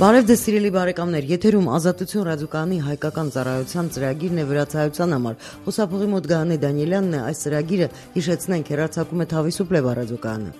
Բարև ձեզ սիրելի բարեկամներ, եթերում Ազատություն ռադիոկայանի հայկական ծառայության ծրագիրն է վրացայության համար։ Խոսափողի մոտ Գայանե Դանիելյանն է, այս ծրագիրը հիշեցնենք հեռարձակում է Թավիսուպլե ռադիոկայանը։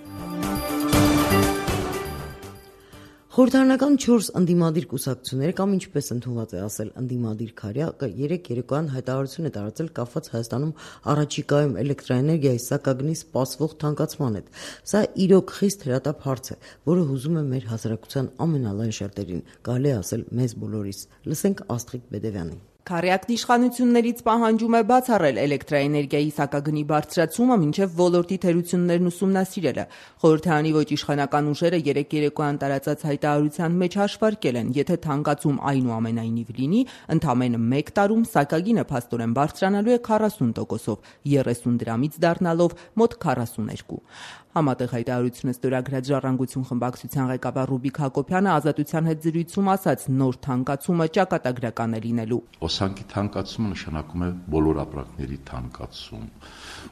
Խորհրդարանական 4 ընդդիմադիր կուսակցությունները կամ ինչպես ընդունված է ասել ընդդիմադիր քարյակը երեք երեկոյան հայտարարություն է տարածել կապված Հայաստանում առաջիկայում էլեկտրաէներգիայի սակագնի սպասվող թանկացման հետ։ Սա իրոք խիստ հրատապ հարց է, որը հուզում է մեր հասարակության ամենալայն շերտերին, կարելի է ասել մեզ բոլորիս։ Լսենք Աստղիկ Բեդևյանին։ Քարյակն իշխանություններից պահանջում է բացառել էլեկտրաէներգիայի սակագնի բարձրացումը մինչև ոլորտի թերություններն ուսումնասիրելը։ Խորհրդարանի ոչ իշխանական ուժերը երեք երեկոյան տարածած հայտարարության մեջ հաշվարկել են, եթե թանկացում այնուամենայնիվ լինի, ընդամենը 1 տարում սակագինը փաստորեն բարձրանալու է 40%-ով, 30 դրամից դառնալով մոտ 42։ Համատեղ հայտարարությունը ստորագրած Ժառանգություն խմբակցության ղեկավար Ռուբիկ Հակոբյանը Ազատության հետ զրույցում ասաց, նոր թանկացումը ճակատագրական է լինելու։ Օսանքի թանկացումը նշանակում է բոլոր ապրանքների թանկացում։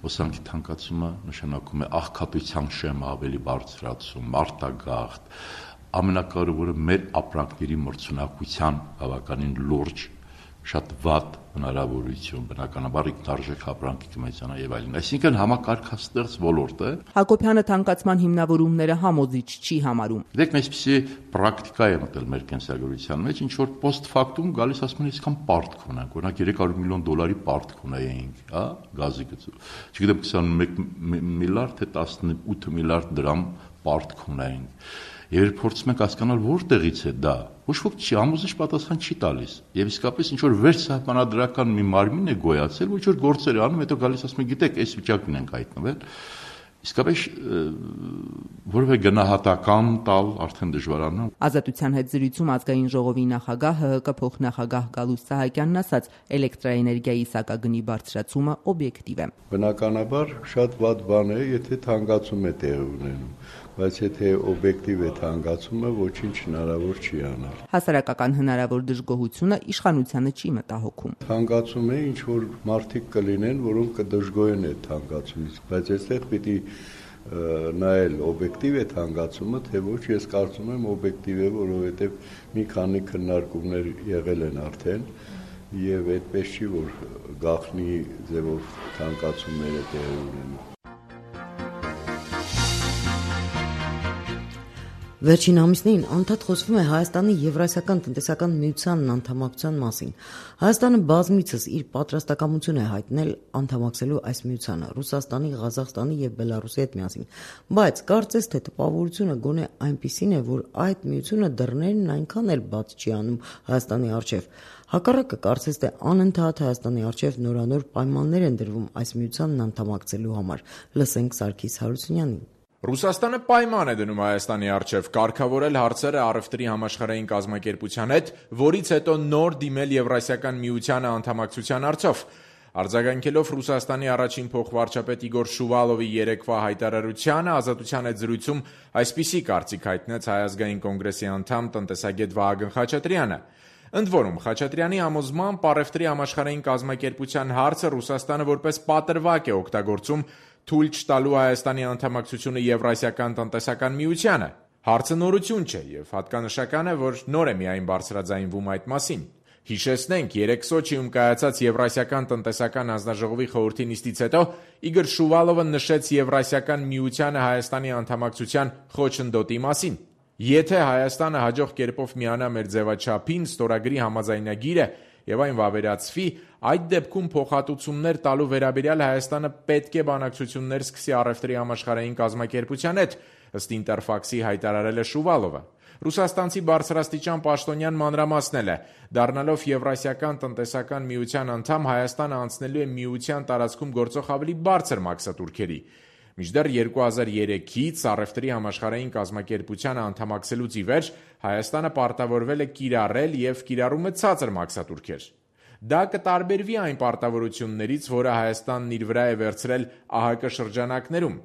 Օսանքի թանկացումը նշանակում է աղքատության շեմը ավելի բարձրացում, արտագաղթ, ամենակարևորը մեր ապրանքների մրցունակության բավականին լուրջ շատ վատ հնարավորություն, բնականաբար ինքնարժեք ապրանքի կմեծանա եւ այլն։ Այսինքն համակարգաստեղծ ոլորտ է։ Հակոբյանը թանկացման հիմնավորումները համոզիչ չի համարում։ Դեք այսպեսի պրակտիկա է մտել մեր կենսագրության մեջ, ինչ որ post factum գալիս ասում են այսքան պարտք ունենք, օրինակ $300 միլիոն պարտք ունեինք, հա, գազի գծով։ Չգիտեմ 21 միլիարդ թե 18 միլիարդ դրամ պարտք ունեինք։ Երբ փորձում ենք հասկանալ որտեղից է դա, ոչ ոք չի համոզիչ պատասխան չի տալիս։ Եվ իսկապես ինչ որ վերջսահմանադրական մի մարմին է գոյացել, ոչ որ գործեր է անում, հետո գալիս ասում է, գիտեք, այս վիճակին ենք հայտնվել։ Իսկապես որևէ գնահատական տալ արդեն դժվարանում է։ Ազատության հետ զրույցում ազգային ժողովի նախագահ ՀՀԿ փոխնախագահ Գալուստ Սահակյանն ասաց, էլեկտրաէներգիայի սակագնի բարձրացումը օբյեկտիվ է։ Բնականաբար շատ վատ բան է, եթե թանկացում է տեղի ունենում, բայց եթե օբյեկտիվ է թանկացումը, ոչինչ հնարավոր չի անել։ Հասարակական հնարավոր դժգոհությունը իշխանությանը չի մտահոգում։ Թանկացում է, ինչ որ մարդիկ կլինեն, որոնք կդժգոհեն այդ թանկացումից, բայց այստեղ պիտի նայել օբյեկտիվ է թանկացումը, թե ոչ, ես կարծում եմ օբյեկտիվ է, որովհետև մի քանի քննարկումներ եղել են արդեն եւ այդպես չի, որ գաղտնի ձևով թանկացումները տեղի ունենան։ Վերջին ամիսներին անդադ խոսվում է Հայաստանի Եվրասիական տնտեսական միությանն անդամակցության մասին։ Հայաստանը բազմիցս իր պատրաստակամություն է հայտնել անդամակցելու այս միությանը Ռուսաստանի, Ղազախստանի եւ Բելարուսի հետ միասին։ Բայց կարծես թե տպավորությունը գոնե այնպիսին է, որ այդ միությունը դռներն այնքան էլ բաց չի անում Հայաստանի առջև։ Հակառակը կարծես թե անընդհատ Հայաստանի առջև նորանոր պայմաններ են դրվում այս միությանն անդամակցելու համար։ Լսենք Սարգիս Հարությունյանին։ Ռուսաստանը պայման է դնում Հայաստանի առջև կարգավորել հարցերը առևտրի համաշխարհային կազմակերպության հետ, որից հետո նոր դիմել Եվրասիական միությանը անդամակցության հարցով։ Արձագանքելով Ռուսաստանի առաջին փոխվարչապետ Իգոր Շուվալովի երեկվա հայտարարությանը, Ազատության հետ զրույցում այսպիսի կարծիք հայտնեց Հայ ազգային կոնգրեսի անդամ տնտեսագետ Վահագն Խաչատրյանը։ Ընդ որում, Խաչատրյանի համոզմամբ առևտրի համաշխարհային կազմակերպության հարցը Ռուսաստանը որպես պատրվակ է օգտագործում թույլ չտալու Հայաստանի անդամակցությունը Եվրասիական տնտեսական միությանը։ Հարցը նորություն չէ եւ հատկանշական է, որ նոր է միայն բարձրաձայնվում այդ մասին։ Հիշեցնենք, երեք Սոչիում կայացած Եվրասիական տնտեսական հանձնաժողովի խորհրդի նիստից հետո Իգոր Շուվալովը նշեց Եվրասիական միությանը Հայաստանի անդամակցության խոչընդոտի մասին։ Եթե Հայաստանը հաջող կերպով միանա մեր ձևաչափին, ստորագրի համաձայնագիրը եւ այն վավերացվի, այդ դեպքում փոխհատուցումներ տալու վերաբերյալ Հայաստանը պետք է բանակցություններ սկսի առևտրի համաշխարհային կազմակերպության հետ, ըստ Ինտերֆաքսի հայտարարել է Շուվալովը։ Ռուսաստանցի բարձրաստիճան պաշտոնյան մանրամասնել է, դառնալով Եվրասիական տնտեսական միության անդամ, Հայաստանը անցնելու է միության տարածքում գործող ավելի բարձր մաքսատուրքերի։ Մինչդեռ 2003-ից առևտրի համաշխարհային կազմակերպությանը անդամակցելուց ի վեր Հայաստանը պարտավորվել է կիրառել եւ կիրառում է ցածր մաքսատուրքեր։ Դա կտարբերվի այն պարտավորություններից, որը Հայաստանն իր վրա է վերցրել ԱՀԿ շրջանակներում։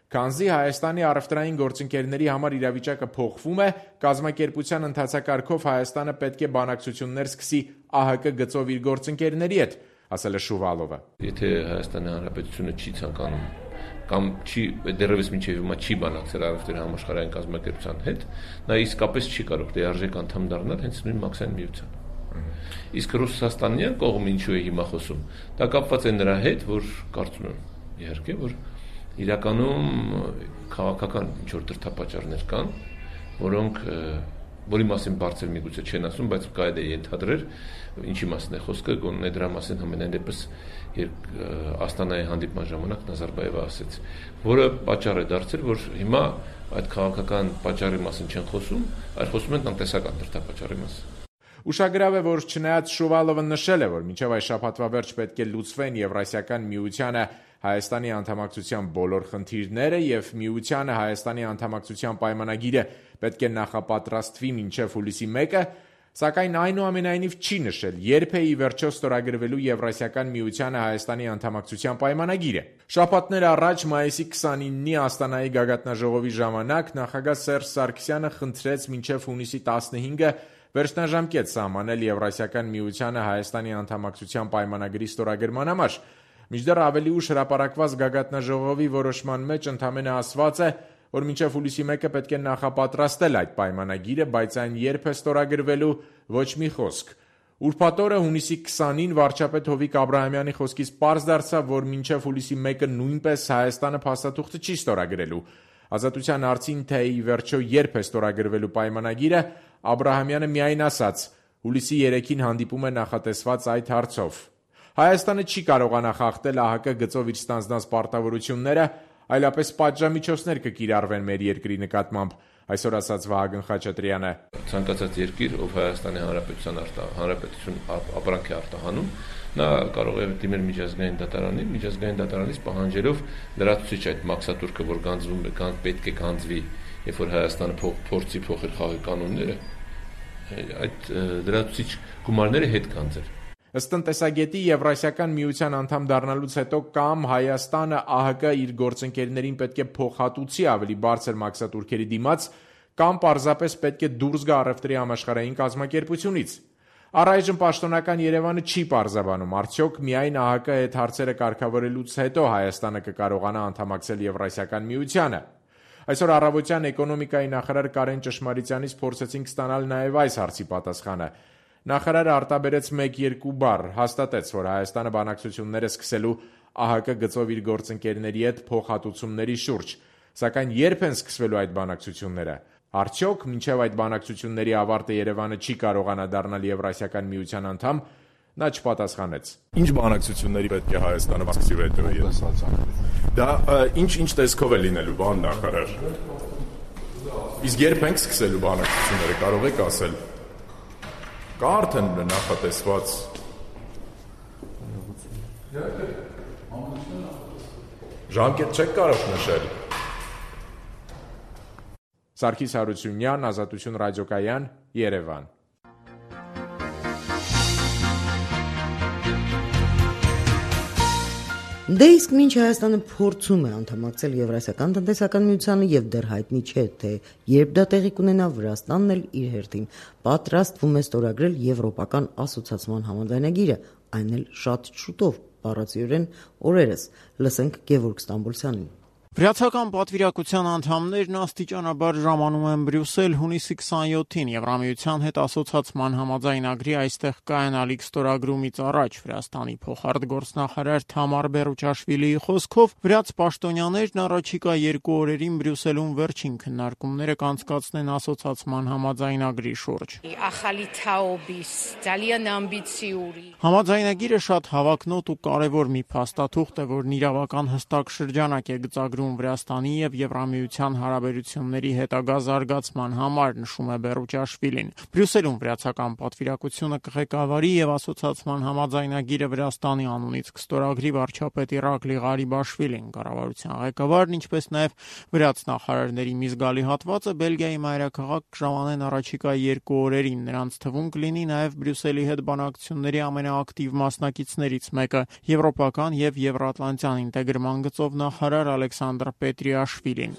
Քանզի Հայաստանի առևտրային գործընկերների համար իրավիճակը փոխվում է, կազմակերպության ընթացակարգով Հայաստանը պետք է բանակցություններ սկսի ԱՀԿ գծով իր գործընկերների հետ, ասել է Շուվալովը։ Եթե Հայաստանի Հանրապետությունը չի ցանկանում կամ չի դեռևս մինչև հիմա չի բանակցել առևտրի համաշխարհային կազմակերպության հետ, նա իսկապես չի կարող լիարժեք անդամ դառնալ հենց նույն մաքսային միության։ Իսկ Ռուսաստանյան կողմը ինչու է հիմա խոսում, դա կապված է նրա հետ, որ կարծում եմ, իհարկե, որ իրականում քաղաքական ինչ-որ դրդապատճառներ կան, որի մասին բարձր միգուցե չեն ասում, բայց կարելի է ենթադրել, ինչի մասին է խոսքը, գոնե դրա մասին համենայն դեպս Աստանայի հանդիպման ժամանակ Նազարբայևը ասեց, որը պատճառ է դարձել, որ հիմա այդ քաղաքական պատճառի մասին չեն խոսում, այլ խոսում են տնտեսական դրդապատճառի մասին։ Ուշագրավ է, որ չնայած Շուվալովը նշել է, որ մինչև այս շաբաթվա վերջ պետք է լուծվեն Եվրասիական միությանը Հայաստանի անդամակցության բոլոր խնդիրները եւ միությանը Հայաստանի անդամակցության պայմանագիրը պետք է նախապատրաստվի մինչև հուլիսի 1-ը, սակայն այնուամենայնիվ չի նշել, երբ է ի վերջո ստորագրվելու Եվրասիական միությանը Հայաստանի անդամակցության պայմանագիրը։ Շաբաթներ առաջ մայիսի 29-ի Աստանայի գագաթնաժողովի ժամանակ նախագահ Սերժ Սարգսյանը խնդրեց մինչև հունիսի 15-ը վերջնաժամկետ սահմանել Եվրասիական միությանը Հայաստանի անդամակցության պայմանագրի ստորագրման համար։ Մինչդեռ ավելի ուշ հրապարակված գագաթնաժողովի որոշման մեջ ընդամենը ասված է, որ մինչև հուլիսի 1-ը պետք է նախապատրաստել այդ պայմանագիրը, բայց այն երբ է ստորագրվելու ոչ մի խոսք։ Ուրբաթ օրը հունիսի 20-ին վարչապետ Հովիկ Աբրահամյանի խոսքից պարզ դարձավ, որ մինչև հուլիսի 1-ը նույնպես Հայաստանը փաստաթուղթը չի ստորագրելու։ Ազատության հարցին, թե ի վերջո երբ է ստորագրվելու պայմանագիրը, Աբրահամյանը միայն ասաց. հուլիսի 3-ին հանդիպում է նախատեսված այդ հարցով։ Հայաստանը չի կարողանա խախտել ԱՀԿ գծով իր ստանձնած պարտավորությունները, այլապես պատժամիջոցներ կկիրառվեն մեր երկրի նկատմամբ, այսօր ասաց Վահագն Խաչատրյանը։ Ցանկացած երկիր, ով Հայաստանի Հանրապետություն ապրանք է արտահանում, նա կարող է դիմել միջազգային դատարանից պահանջելով լրացուցիչ այդ մաքսատուրքը, որ գանձվում է, պետք է գանձվի, երբ որ Հայաստանը փորձի փոխել խաղի կանոնները, այդ լրացուցիչ գումարները հետ գանձել։ Ըստ տնտեսագետի Եվրասիական միության անդամ դառնալուց հետո կամ Հայաստանը ԱՀԿ իր գործընկերներին պետք է փոխհատուցի ավելի բարձր մաքսատուրքերի դիմաց, կամ պարզապես պետք է դուրս գա առևտրի համաշխարհային կազմակերպությունից։ Առայժմ պաշտոնական Երևանը չի պարզաբանում, արդյոք միայն ԱՀԿ հետ հարցերը կարգավորելուց հետո Հայաստանը կկարողանա անդամակցել Եվրասիական միությանը։ Այսօր առավոտյան էկոնոմիկայի նախարար Կարեն Ճշմարիտյանից փորձեցինք ստանալ նաև այս հարցի պատասխանը։ Նախարարը արտաբերեց 1-2 բառ, հաստատեց, որ Հայաստանը բանակցություններ է սկսելու ԱՀԿ գծով իր գործընկերների հետ փոխհատուցումների շուրջ, սակայն երբ են սկսվելու այդ բանակցությունները։ Արդյոք մինչև այդ բանակցությունների ավարտը Երևանը չի կարողանա դառնալ Եվրասիական միության անդամ, նա չպատասխանեց։ Ինչ բանակցությունների պետք է Հայաստանը սկսի վետոյի։ Դա ինչ տեսքով է լինելու, բան նախարար։ Իսկ երբ ենք սկսելու բանակցությունները, կարող եք ասել։ Կա արդեն նախատեսված ժամկետ չեք կարող նշել։ Սարգիս Հարությունյան, Ազատություն ռադիոկայան, Երևան։ Դե իսկ մինչ Հայաստանը փորձում է անդամակցել Եվրասիական տնտեսական միությանը եւ դեռ հայտնի չէ, թե երբ դա տեղի կունենա, Վրաստանն էլ իր հերթին պատրաստվում է ստորագրել Եվրոպական ասոցիացիան համաձայնագիրը, այն էլ շատ շուտով, բառացիորեն օրերս։ Լսենք Գևորգ Ստամբոլցյանին։ Վրացական պատվիրակության անդամներն աստիճանաբար ժամանում են Բրյուսել հունիսի 27-ին Եվրամիության հետ ասոցիացման համաձայնագրի այստեղ կայանալիք ստորագրումից առաջ Վրաստանի փոխարտգործնախարար Թամար Բերուչաշվիլիի խոսքով վրաց պաշտոնյաներն առաջիկա 2 օրերին Բրյուսելում վերջին քննարկումները կանցկացնեն ասոցիացման համաձայնագրի շուրջ։ Համաձայնագիրը շատ հավակնոտ ու կարևոր մի փաստաթուղթ է, որն իրավական հստակ շրջանակ է գծագրում Վրաստանի եւ Եվրամիության հարաբերությունների հետագա զարգացման համար, նշում է Բերուչաշվիլին։ Բրյուսելում վրացական պատվիրակությունը կղեկավարի եւ ասոցիացման համաձայնագիրը Վրաստանի անունից կստորագրի վարչապետ Իրակլի Ղարիբաշվիլին։ Կառավարության ղեկավարն, ինչպես նաեւ վրաց նախարարների մի զգալի հատվածը Բելգիայի մայրաքաղաք կժանանեն առաջիկա 2 օրերին։ Նրանց թվում կլինի նաեւ Բրյուսելի հետ բանակցությունների ամենաակտիվ մասնակիցներից մեկը, եվրոպական եւ եվրատլանտյան ինտեգրման գծով նախարար Ալեքսանդր Ալեքսանդր Պետրիաշվիլին։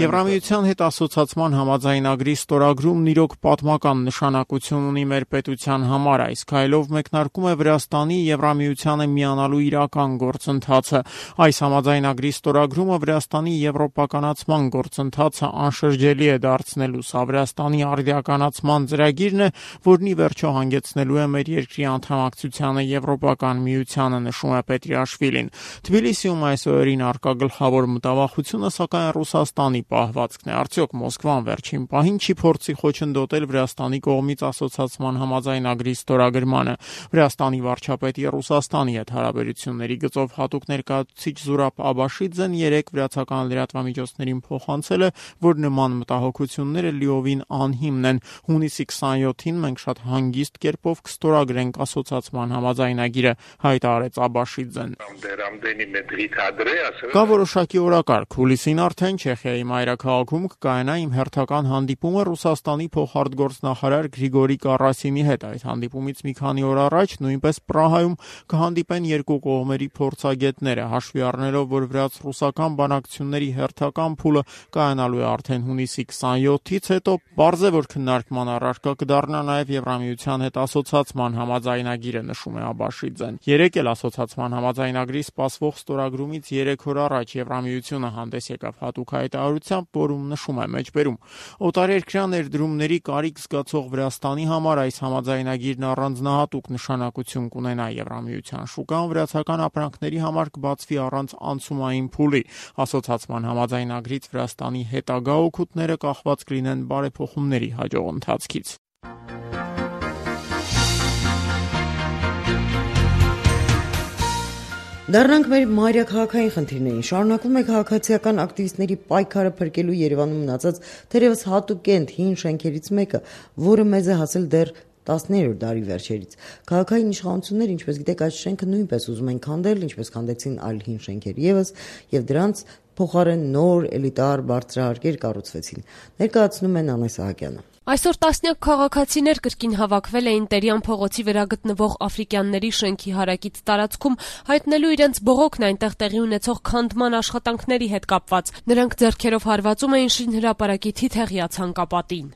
Եվրամիության հետ ասոցացման համաձայնագրի ստորագրումն իրոք պատմական նշանակություն ունի մեր պետության համար։ Այս քայլով մեկնարկում է Վրաստանի Եվրամիությանը միանալու իրական գործընթացը։ Այս համաձայնագրի ստորագրումը Վրաստանի եվրոպականացման գործընթացը անշրջելի է դարձնելու։ Սա Վրաստանի արդիականացման ծրագիրն է, որն ի վերջո հանգեցնելու է մեր երկրի անդամակցությանը Եվրոպական միությանը, նշում է Պետրիաշվիլին։ Թբիլիսիում այս օրերին առկա գլխավոր մտավախությունը սակայն Ռուսաստանի պահվածքն է։ Արդյոք Մոսկվան վերջին պահին չի փորձի խոչընդոտել Վրաստանի կողմից ասոցացման համաձայնագրի ստորագրմանը։ Վրաստանի վարչապետի Ռուսաստանի հետ հարաբերությունների գծով հատուկ ներկայացուցիչ Զուրաբ Աբաշիձեն երեկ վրացական լրատվամիջոցներին փոխանցել է, որ նման մտահոգությունները լիովին անհիմն են։ Հունիսի 27-ին մենք շատ հանգիստ կերպով կստորագրենք ասոցացման համաձայնագիրը, հայտարարեց Աբաշիձեն։ Կա որոշակի օրակարգ։ Հուլիսին արդեն Չեխիայի մայրաքաղաքում կկայանա իմ հերթական հանդիպումը Ռուսաստանի փոխարտգործնախարար Գրիգորի Կարասինի հետ։ Այդ հանդիպումից մի քանի օր առաջ նույնպես Պրահայում կհանդիպեն երկու կողմերի փորձագետները, հաշվի առնելով, որ վրաց-ռուսական բանակցությունների հերթական փուլը կայանալու է արդեն հունիսի 27-ից հետո, պարզ է, որ քննարկման առարկա կդառնա նաև Եվրամիության հետ ասոցացման համաձայնագիրը, նշում է Աբաշիձեն։ Երեկ էլ ասոցացման համաձայնագրի սպասվող ստորագրումից 3 օր առաջ Եվրամիությունը հանդես եկավ հատուկ հայտարարությամբ, որում նշում է մեջբերում. օտարերկրյա ներդրումների կարիք զգացող Վրաստանի համար այս համաձայնագիրն առանձնահատուկ նշանակություն կունենա Եվրամիության շուկան վրացական ապրանքների համար կբացվի առանց անցումային փուլի։ Ասոցացման համաձայնագրից Վրաստանի հետագա օգուտները կախված կլինեն բարեփոխումների հաջող ընթացքից։ Դառնանք մեր մայրաքաղաքային խնդիրներին։ Շարունակվում է քաղաքացիական ակտիվիստների պայքարը փրկելու Երևանում մնացած թերևս հատուկենտ հին շենքերից մեկը, որը մեզ է հասել դեռ 19-րդ դարի վերջերից։ Քաղաքային իշխանությունները, ինչպես գիտեք, այս շենքը նույնպես ուզում են քանդել, ինչպես քանդեցին այլ հին շենքեր եւս, եւ դրանց փոխարեն նոր էլիտար բարձրահարկեր կառուցվեցին։ Ներկայացնում են Անե Սահակյանը։ Այսօր տասնյակ քաղաքացիներ կրկին հավաքվել էին Տերյան փողոցի վրա գտնվող աֆրիկյանների շենքի հարակից տարածքում, հայտնելու իրենց բողոքն այնտեղ տեղի ունեցող քանդման աշխատանքների հետ կապված։ Նրանք ձեռքերով հարվածում էին շինհրապարակի թիթեղյա ցանկապատին։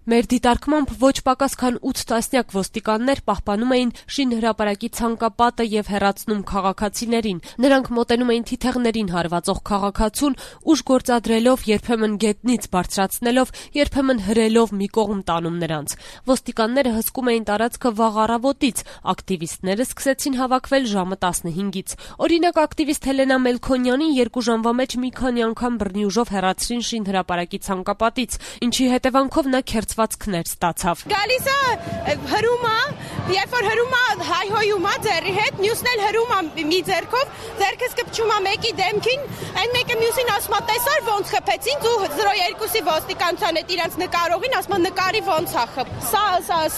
Մեր դիտարկմամբ ոչ պակաս քան 8 տասնյակ ոստիկաններ պահպանում էին շինհրապարակի ցանկապատը եւ հեռացնում քաղաքացիներին։ Նրանք մոտենում էին թիթեղներին հարվածող քաղաքացուն, ուժ գործադրելով, երբեմն գետնից բարձրացնելով, երբեմն հրելով մի կողմ տանում նրանց։ Ոստիկանները հսկում էին տարածքը վաղ առավոտից, ակտիվիստները սկսեցին հավաքվել ժամը 15-ից։ Օրինակ, ակտիվիստ Հելենա Մելքոնյանին 2 ժամվա մեջ մի քանի անգամ բռնի ուժով հեռացրին շինհրապարակի ցանկապատից, ինչի հետևանքով նա քերծվածքներ ստացավ։ Գալիս է հրում է, երբ որ հրում է հայհոյում է ձեռի հետ, մյուսն էլ հրում է մի ձեռքով, ձեռքս կպչում է մեկի դեմքին, այն մեկը մյուսին ասում է տեսար ոնց խփեցին, ու 02-ի ոստիկանության հետ իրանց նկարողին ասում է նկարի ոնց է խփ։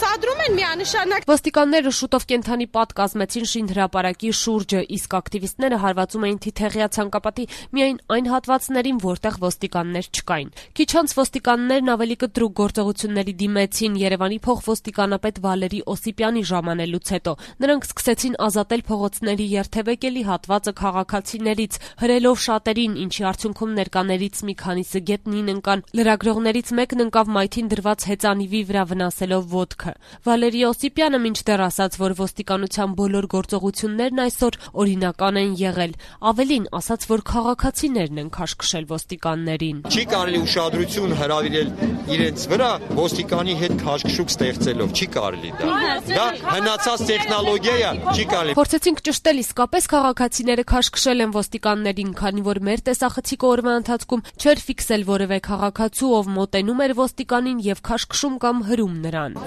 Սադրում են միանշանակ։ Ոստիկանները շուտով կենթանի պատ կազմեցին շինհրապարակի շուրջը, իսկ ակտիվիստները հարվածում էին թիթեղյա ցանկապատի միայն այն հատվածներին, որտեղ ոստիկաններ չկային։ Քիչ անց ոստիկաններն ավելի կտրուկ գործողությունների դիմեցին Երևանի փոխոստիկանապետ Վալերի Օսիպյանի ժամանելուց հետո։ Նրանք սկսեցին ազատել փողոցների երթևեկելի հատվածը քաղաքացիներից, հրելով շատերին, ինչի արդյունքում ներկաներից մի քանիսը գետնին ընկան։ Լրագրողներից մեկն ընկավ մայթին դրված հեծանիվի վրա վնասելով ոտքը։ Վալերի Օսիպյանը մինչդեռ ասաց, որ ոստիկանության բոլոր գործողություններն այսօր օրինական են եղել։ Ավելին ասաց, որ քաղաքացիներն են քաշքշել ոստիկաններին։ Չի կարելի ուշադրություն հրավիրել իրենց վրա ոստիկանի հետ քաշքշուկ ստեղծելով, չի կարելի դա հնացած տեխնոլոգիա է, չի կարելի։ Փորձեցինք ճշտել, իսկապես քաղաքացիները քաշքշել են ոստիկաններին, քանի որ մեր տեսախցիկը օրվա ընթացքում չէր ֆիքսել որևէ քաղաքացու, ով մոտենում էր ոստիկանին եւ քաշքշում կամ հրում նրան։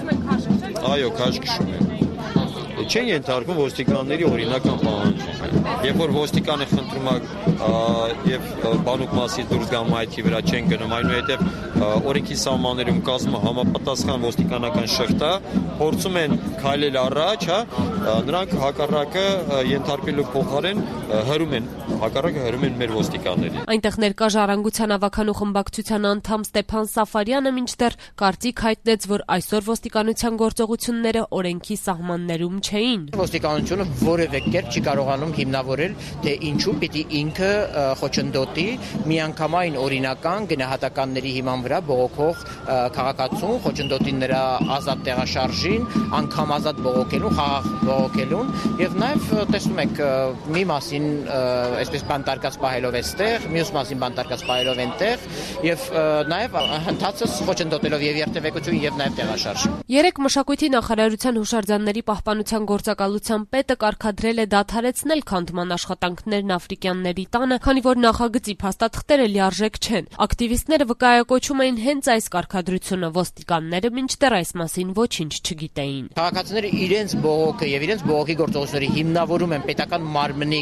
Այո, քաշքշում են։ չեն ենթարկվում ոստիկանների օրինական պահանջին։ Երբ որ ոստիկանը խնդրում է եւ բանուկ մասից դուրս գամ այդի վրա չեն գնում, այնուհետեւ օրենքի սահմաններում կազմը համապատասխան ոստիկանական շղթա, փորձում են քայլել առաջ, նրանք հակառակը ենթարկելու փոխարեն հրում են մեր ոստիկաններին։ Այնտեղ ներկա Ժառանգության ավականու խմբակցության անդամ Ստեփան Սաֆարյանը մինչդեռ կարծիք հայտնեց, որ այսօր ոստիկանության գործողությունները օրենքի սահմաններում չէին։ Ոստիկանությունը որևէ կերպ չի կարողանում հիմնավորել, թե ինչու պիտի ինքը խոչընդոտի միանգամայն օրինական գնահատականների հիման վրա բողոքող քաղաքացուն, խոչընդոտի նրա ազատ տեղաշարժին, անգամ ազատ բողոքելուն, խաղաղ բողոքելուն, եւ նաեւ տեսնում եք մի մասին այսպես բանտարկած պահելով այստեղ, մյուս մասին բանտարկած պահելով այնտեղ եւ նաեւ հնդածս խոչընդոտելով եւ երթևեկություն եւ նաեւ տեղաշարժ։ Երեք մշակույթի նախարարության հուշարձանների պահպանության գործակալության պետը կարգադրել է դադարեցնել քանդման աշխատանքներն Աֆրիկյանների տանը, քանի որ նախագծի փաստաթղթերը լիարժեք չեն։ Ակտիվիստները վկայակոչում էին հենց այս կարգադրությունը, ոստիկանները մինչդեռ այս մասին ոչինչ չգիտեին։ Քաղաքացիները իրենց բողոքը եւ իրենց բողոքի գործողությունները հիմնավորում են պետական մարմնի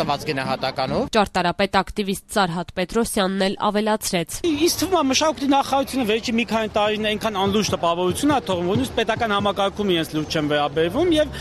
տված գնահատականով։ Ճարտարապետ ակտիվիստ Սարհատ Պետրոսյանն էլ ավելացրեց։ Իսկ թվում է մշակույթի նախարարությունը վերջի մի քանի տարիներ այնքան անլուրջ տպավորություն է թողում, որ պետական համակարգում իրենց լուրջ չեն վերաբերվում եւ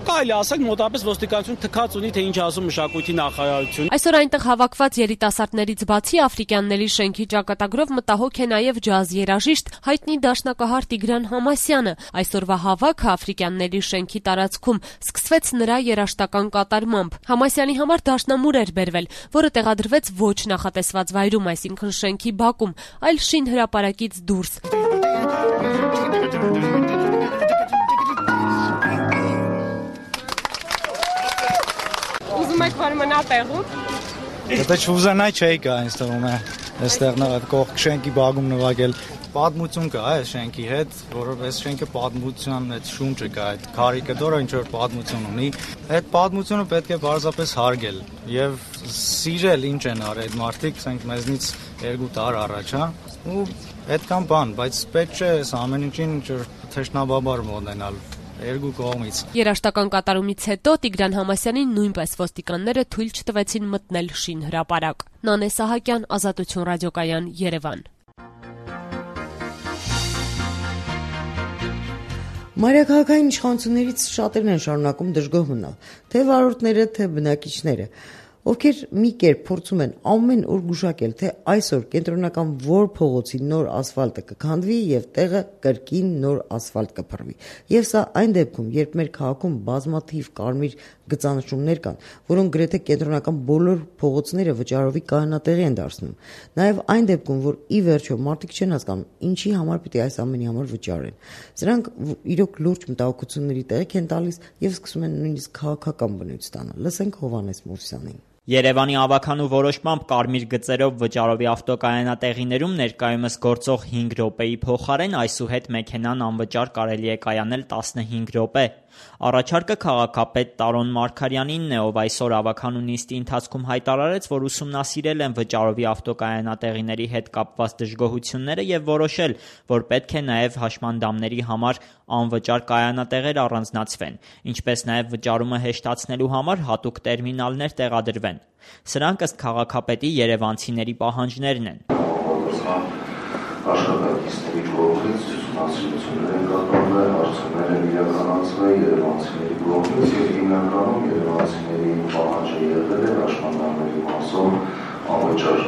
կարելի ասել մոտավորապես ոստիկանություն թքած ունի, թե ինչ ասում մշակույթի նախարարությունը։ Այսօր այնտեղ հավաքված երիտասարդներից բացի Աֆրիկյանների շենքի ճակատագրով մտահոգ է նաև ջազ երաժիշտ հայտնի դաշնակահար Տիգրան Համասյանը։ Այսօրվա հավաքը Աֆրիկյանների շենքի տարածքում սկսվեց նրա երաժշտական կատարմամբ։ Համասյանի համար դաշնամուր էր բերվել, որը տեղադրվեց ոչ նախատեսված վայրում, այսինքն շենքի բակում, այլ շին հրապարակից դուրս։ Ուզում եք որ մնա տեղում։ Եթե չուզենայի չէի գա ինձ թվում է այստեղ կողք շենքի բակում նվագել։ Պատմություն կա այս շենքի հետ, որովհետեւ այս շենքը պատմության այդ շունչը կա, այդ քարիկը դորա ինչ որ պատմություն ունի։ Այդ պատմությունը պետք է բարձրապես հարգել եւ սիրել ինչ են արել այդ մարդիկ, ասենք մեզնից 2 տար առաջ, ու այդքան բան, բայց պետք չէ այս ամեն ինչին ինչ որ թշնաբաբար մոտենալ։ Երկու կողմից։ Երաշտական կատարումից հետո Տիգրան Համասյանին նույնպես ոստիկանները թույլ չտվեցին մտնել շին հրապարակ։ Նանե Սահակյան, Ազատություն ռադիոկայան, Երևան։ Մայրաքաղաքային իշխանություններից շատերն են շարունակում դժգոհ մնալ, թե վարորդները, թե բնակիչները, ովքեր մի կերպ փորձում են ամեն օր գուշակել, թե այսօր կենտրոնական որ փողոցի նոր ասֆալտը կքանդվի եւ տեղը կրկին նոր ասֆալտ կփռվի։ Եվ սա այն դեպքում, երբ մեր քաղաքում բազմաթիվ կարմիր գծանշումներ կան, որոնք գրեթե կենտրոնական բոլոր փողոցները վճարովի կանոնատեղի են դարձնում։ Նաեւ այն դեպքում, որ ի վերջո մարդիկ չեն հասկանում, ինչի համար պիտի այս ամենի համար վճարեն։ Սրանք իրոք լուրջ մտահոգությունների տեղիք են տալիս եւ սկսում են նույնիսկ քաղաքական բնույթ ստանալ։ Լսենք Հովհաննես Մովսյանին։ Երևանի ավականու որոշմամբ կարմիր գծերով վճարովի ավտոկայանատեղիներում ներկայումս գործող 5 րոպեի փոխարեն այսուհետ մեքենան անվճար կարելի է կայանել 15 րոպե։ Առաջարկը քաղաքապետ Տարոն Մարգարյանինն է, ով այսօր ավականու նիստի ընթացքում հայտարարեց, որ ուսումնասիրել են վճարովի ավտոկայանատեղիների հետ կապված դժգոհությունները եւ որոշել, որ պետք է նաեւ հաշմանդամների համար անվճար կայանատեղեր առանձնացվեն, ինչպես նաեւ վճարումը հեշտացնելու համար հատուկ տերմինալներ տեղադրվեն։ Սրանք ըստ քաղաքապետի երևանցիների պահանջներն են։ Աշխատակիցների կողմից ուսումնասիրություններ են կատարվել, հարցումներ են իրականացվել երևանցիների կողմից եւ հիմնականում երևանցիների պահանջը եղել է հաշմանդամների մասով անվճար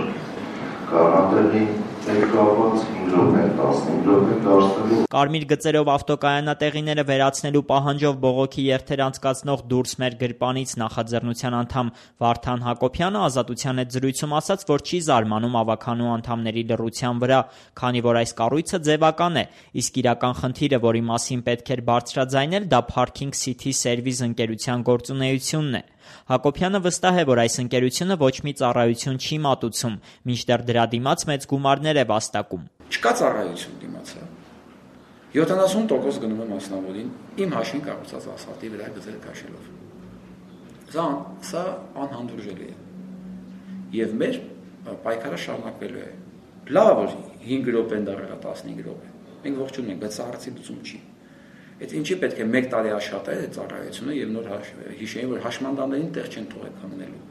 կայանատեղի կապված 5 րոպե, 15 րոպե դարձնելու։ Կարմիր գծերով ավտոկայանատեղիները վերացնելու պահանջով բողոքի երթեր անցկացնող «Դուրս մեր գրպանից» նախաձեռնության անդամ Վարդան Հակոբյանը Ազատության հետ զրույցում ասաց, որ չի զարմանում ավականու անդամների լռության վրա, քանի որ այս կառույցը ձևական է, իսկ իրական խնդիրը, որի մասին պետք էր բարձրաձայնել, դա Parking City Service ընկերության գործունեությունն է։ Հակոբյանը վստահ է, որ այս ընկերությունը ոչ մի ծառայություն չի մատուցում, մինչդեռ դրա դիմաց մեծ գումարներ է վաստակում։ Չկա ծառայություն դիմացը։ 70% գնում է մասնավորին իմ հաշվին կառուցած ասֆալտի վրա գծեր քաշելով։ Սա անհանդուրժելի է։ Եվ մեր պայքարը շարունակվելու է։ Լավ որ 5 րոպեն դառել է 15 րոպե։ Մենք ողջունում ենք, բայց սա արդի լուծում չի։ Այդ ինչի պետք է 1 տարի աշխատել այդ ծառայությունը եւ նոր հիշեին, որ հաշմանդամներին տեղ չեն թողել քննելու։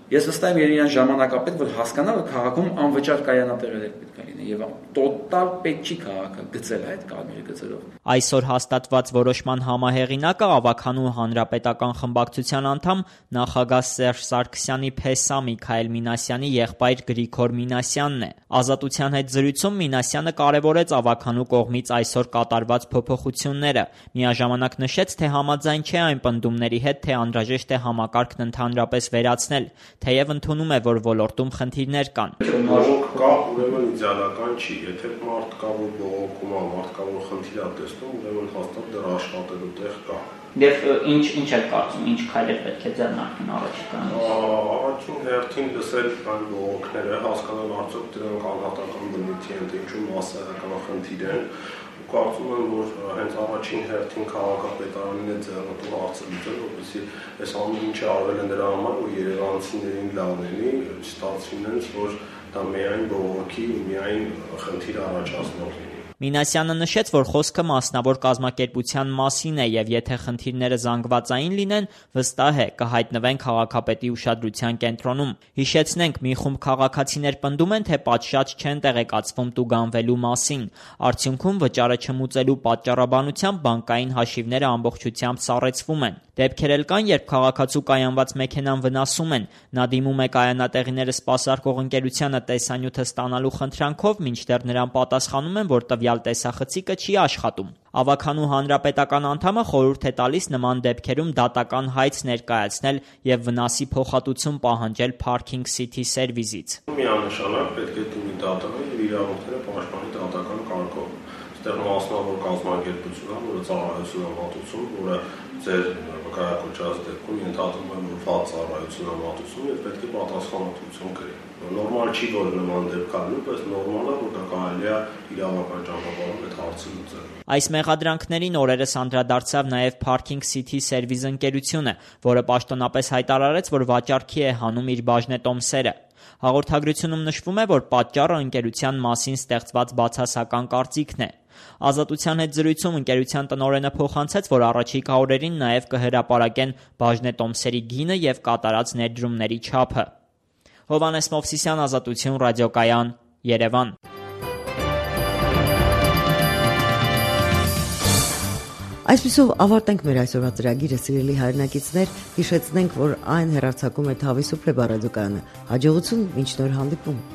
Ես վստահ եմ իրեն ժամանակապետ, որ հասկանա, որ քաղաքում անվճար կայանատեղեր պետք է լինեն եւ տոտալ պետք չի քաղաքը գծել այդ կարմիր գծերով։ Այսօր հաստատված որոշման համահեղինակը Ավագանու հանրապետական խմբակցության անդամ նախագահ Սերժ Սարգսյանի փեսա Միքայել Մինասյանի եղբայր Գրիգոր Մինասյանն է։ Ազատության հետ զրույցում Մինասյանը կարևորեց Ավագանու կողմից այսօր կատարված փոփոխությունները, միաժամանակ նշեց, թե համաձայն չէ այն պնդումների հետ, թե անհրաժեշտ է համակարգն ընդհանրապես վերացնել, թեև ընդունում է, որ ոլորտում խնդիրներ կան։ Բողոք կա, ուրեմն իդեալական չի, եթե մարդ կա, որ բողոքում է, մարդ կա, որ խնդիր է տեսնում, ուրեմն հաստատ դեռ աշխատելու տեղ կա։ Եվ ինչ եք կարծում, ինչ քայլեր պետք է ձեռնարկեն առաջիկայում։ Առաջին հերթին լսել այն բողոքները, հասկանալ արդյոք դրանք անհատական բնույթի են, թե ինչու մասսայական խնդիր են։ Կարծում եմ, որ հենց առաջին հերթին քաղաքապետարանին է ձեռնտու հարցը լուծել, որպեսզի այս ամեն ինչը արվել է նրա համար, որ երևանցիներին լավ լինի, ստացվի նենց, որ դա միայն բողոքի ու միայն խնդիր առաջացնող լինի։ Մինասյանը նշեց, որ խոսքը մասնավոր կազմակերպության մասին է եւ եթե խնդիրները զանգվածային լինեն, վստահ է կհայտնվեն քաղաքապետի ուշադրության կենտրոնում։ Հիշեցնենք, մի խումբ քաղաքացիներ պնդում են, թե պատշաճ չեն տեղեկացվում տուգանվելու մասին։ Արդյունքում վճարը չմուծելու պատճառաբանությամբ բանկային հաշիվները ամբողջությամբ սառեցվում են։ Դեպքեր էլ կան, երբ քաղաքացու կայանված մեքենան վնասում են, նա դիմում է կայանատեղիները սպասարկող ընկերությանը տեսանյութը ստանալու խնդրանքով, մինչդեռ նրան պատասխանում են, որ տվյալ տեսախցիկը չի աշխատում։ Ավագանու հանրապետական անդամը խորհուրդ է տալիս նման դեպքերում դատական հայց ներկայացնել եւ վնասի փոխհատուցում պահանջել Parking City Service-ից։ Միանշանակ պետք է դիմի դատանը եւ իրավունքները պաշտպանի դատական կարգով։ Այստեղ մասնավոր կազմակերպություն է, որը ծառայություն է մատուցում, որը ձեր վկայակոչած դեպքում ենթադրում է, որ վատ ծառայություն է մատուցում եւ պետք է պատասխանատվություն կրի։ Նորմալ չի, որ նման դեպք կա, բայց նորմալ է, որ դա կարելի է իրավական ճանապարհով այդ հարցը լուծել։ Այս մեղադրանքներին օրերս անդրադարձավ նաև Parking City Service ընկերությունը, որը պաշտոնապես հայտարարեց, որ վաճառքի է հանում իր բաժնետոմսերը։ Հաղորդագրությունում նշվում է, որ պատճառը ընկերության մասին ստեղծված բացասական կարծիքն է։ Ազատության հետ զրույցում ընկերության տնօրենը փոխանցեց, որ առաջիկա օրերին նաև կհրապարակեն բաժնետոմսերի գինը եւ կատարած ներդրումների չափը։ Հովհաննես Մովսիսյան, Ազատություն, ռադիոկայան, Երևան։ Այսպիսով ավարտենք մեր այսօրվա ծրագիրը, սիրելի հայրենակիցներ, հիշեցնենք, որ այն հեռարձակում է Թավի Սուպլե ռադիոկայանը։ Հաջողություն, մինչ նոր հանդիպում։